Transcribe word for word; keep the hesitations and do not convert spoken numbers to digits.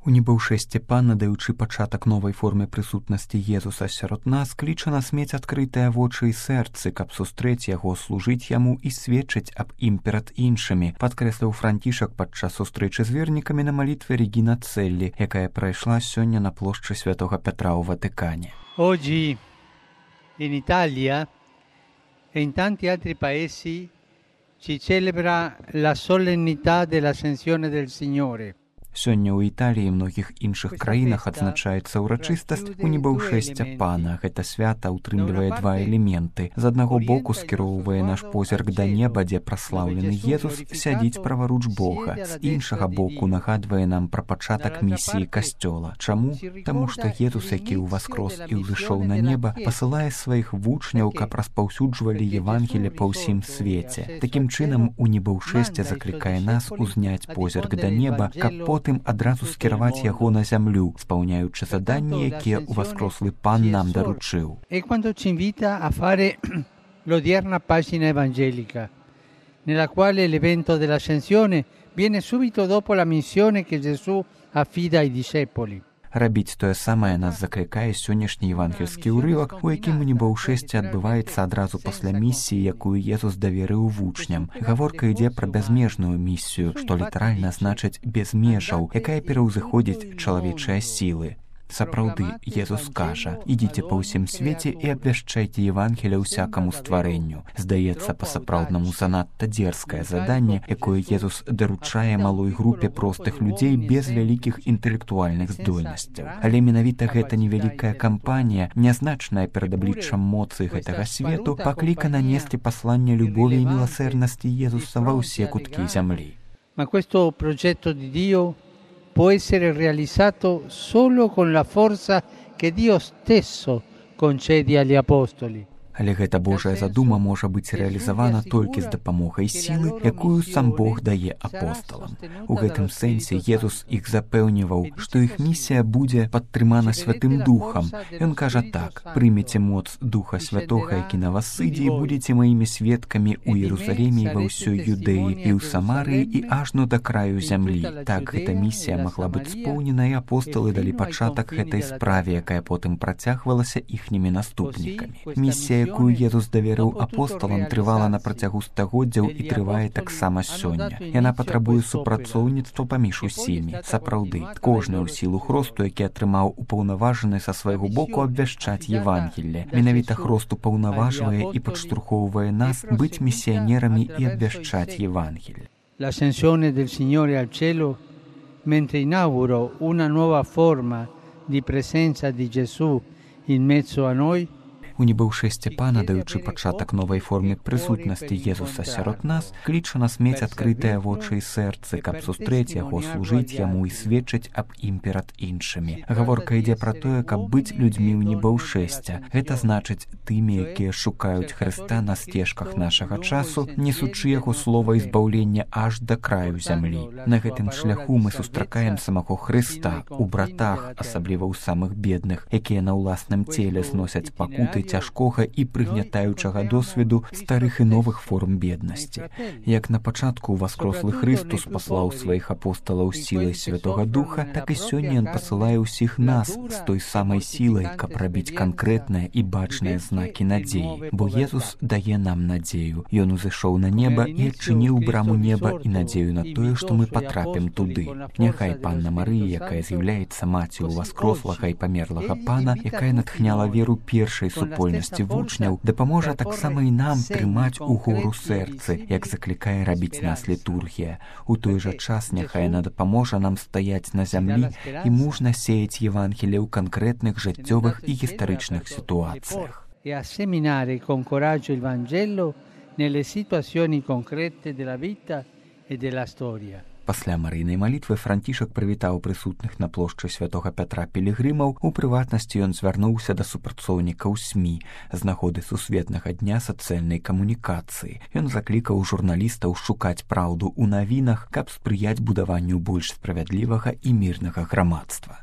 У небаўшэсце пан, надаючы пачатак новай форме прысутнасці Езуса сярод нас, кліча нас мець адкрытыя вочы і сэрцы, каб сустрэць яго, служыць яму і сведчыць аб ім перад іншымі, падкрэсліў Францішак падчас сустрэчы з вернікамі на малітве Регіна Целлі, якая прайшла сёння на плошчы Святога Петра ў Ватыкане. Oggi in Italia e in tanti altri paesi si celebra la solennità dell'Ascensione del Signore. Сёння ў Італіі і многіх іншых краінах адзначаецца ўрачыстасць у небаўшэсця пана. Гэта свята ўтрымлівае два элементы. З аднаго боку скіроўвае наш позірк да неба, дзе праслаўлены Езус сядзіць праваруч Бога. З іншага боку нагадвае нам пра пачатак місіі касцёла. Чаму? Таму што Езус, які ўваскрос і ўзышоў на неба, пасылае сваіх вучняў, каб распаўсюджвалі Евангелле па ўсім свеце. Такім чынам, у небаўшэсце заклікае нас узняць позірк да неба, каб потым адразу скіраваць яго на зямлю, спаўняючы заданні, якія ўваскрослы пан нам даручыў. E quando ci invita a fare l'odierna pagina evangelica, nella quale l'evento dell'ascensione viene subito dopo la missione che Gesù affida ai discepoli. Рабіць тое самае нас заклікае сённяшні евангельскі ўрывак, у якім у небаўшэсце адбываецца адразу пасля місіі, якую Езус даверыў вучням. Гаворка ідзе пра бязмежную місію, што літаральна значыць без межаў, якая пераўзыходзіць чалавечыя сілы. Сапраўды, Езус кажа: «Ідзіце па ўсім свеце і абвяшчайце Евангелле ўсякаму стварэнню». Здаецца, па-сапраўднаму занадта дзерзкае заданне, якое Езус даручае малой групе простых людзей без вялікіх інтэлектуальных здольнасцяў. Але менавіта гэта невялікая кампанія, нязначная перад абліччам моцы гэтага свету, паклікана несці пасланне любові і міласэрнасці Езуса ва ўсе куткі зямлі. Ma questo progetto di Dio può essere realizzato solo con la forza che Dio stesso concede agli apostoli. Але гэта Божая задума можа быць рэалізавана толькі з дапамогай сілы, якую сам Бог дае апосталам. У гэтым сэнсе Езус іх запэўніваў, што іх місія будзе падтрымана Святым Духам. Ён кажа так: «Прымеце моц Духа Святога, які на вас сыдзе, і будзеце маімі сведкамі ў Іерусаліме і ва ўсёй Юдэі, і ў Самарыі, і ажно да краю зямлі». Так гэта місія магла быць споўнена, і апосталы далі пачатак гэтай справе, якая потым працягвалася іхнімі наступнікамі. Місія, якую Езус даверыў апосталам, трывала на працягу стагоддзяў і трывае таксама сёння. Яна патрабуе супрацоўніцтва паміж усімі. Сапраўды, кожны ў сілу хросту, які атрымаў упаўнаважаны са свайго боку абвяшчаць Евангелле. Менавіта хрост упаўнаважвае і падштурхоўвае нас быць місіянерамі і абвяшчаць Евангелле. L'ascensione del Signore al cielo, mentre inauguro una nuova forma di presenza di Gesù in mezzo a noi, У небаўшэсце пана, даючы пачатак новай форме прысутнасці Езуса сярод нас, кліча нас мець адкрытыя вочы і сэрцы, каб сустрэць яго, служыць яму і сведчыць аб ім перад іншымі. Гаворка ідзе пра тое, каб быць людзьмі ў небаўшэсця. Гэта значыць тымі, якія шукаюць Хрыста на сцежках нашага часу, несучы яго слова і збаўлення аж да краю зямлі. На гэтым шляху мы сустракаем самого Хрыста у братах, асабліва ў самых бедных, якія на ўласным целе зносяць пакуты цяжкога і прыгнятаючага досведу старых і новых форм беднасці. Як на пачатку ўваскрослы Хрыстус паслаў сваіх апосталаў сілай Святога Духа, так і сёння ён пасылае ўсіх нас з той самай сілай, каб рабіць канкрэтныя і бачныя знакі надзеі. Бо Езус дае нам надзею. Ён узышоў на неба і адчыніў браму неба і надзею на тое, што мы патрапім туды. Няхай Панна Марыя, якая з'яўляецца маці ўваскрослага і памерлага пана, якая натхняла веру першай супольнасці вучняў, дапаможа таксама і нам трымаць угору сэрцы, як заклікае рабіць нас літургія. У той жа час няхай яна дапаможа нам стаяць на зямлі і мужна сеяць Евангелле ў канкрэтных жыццёвых і гістарычных сітуацыях. E a seminare con coraggio il Vangelo nelle situazioni concrete della vita e della storia. Пасля марыйнай малітвы Францішак прывітаў прысутных на плошчы Святога Пятра пілігрымаў. У прыватнасці ён звярнуўся да супрацоўнікаў СМІ з нагоды сусветнага дня сацыяльнай камунікацыі. Ён заклікаў журналістаў шукаць праўду ў навінах, каб спрыяць будаванню больш справядлівага і мірнага грамадства.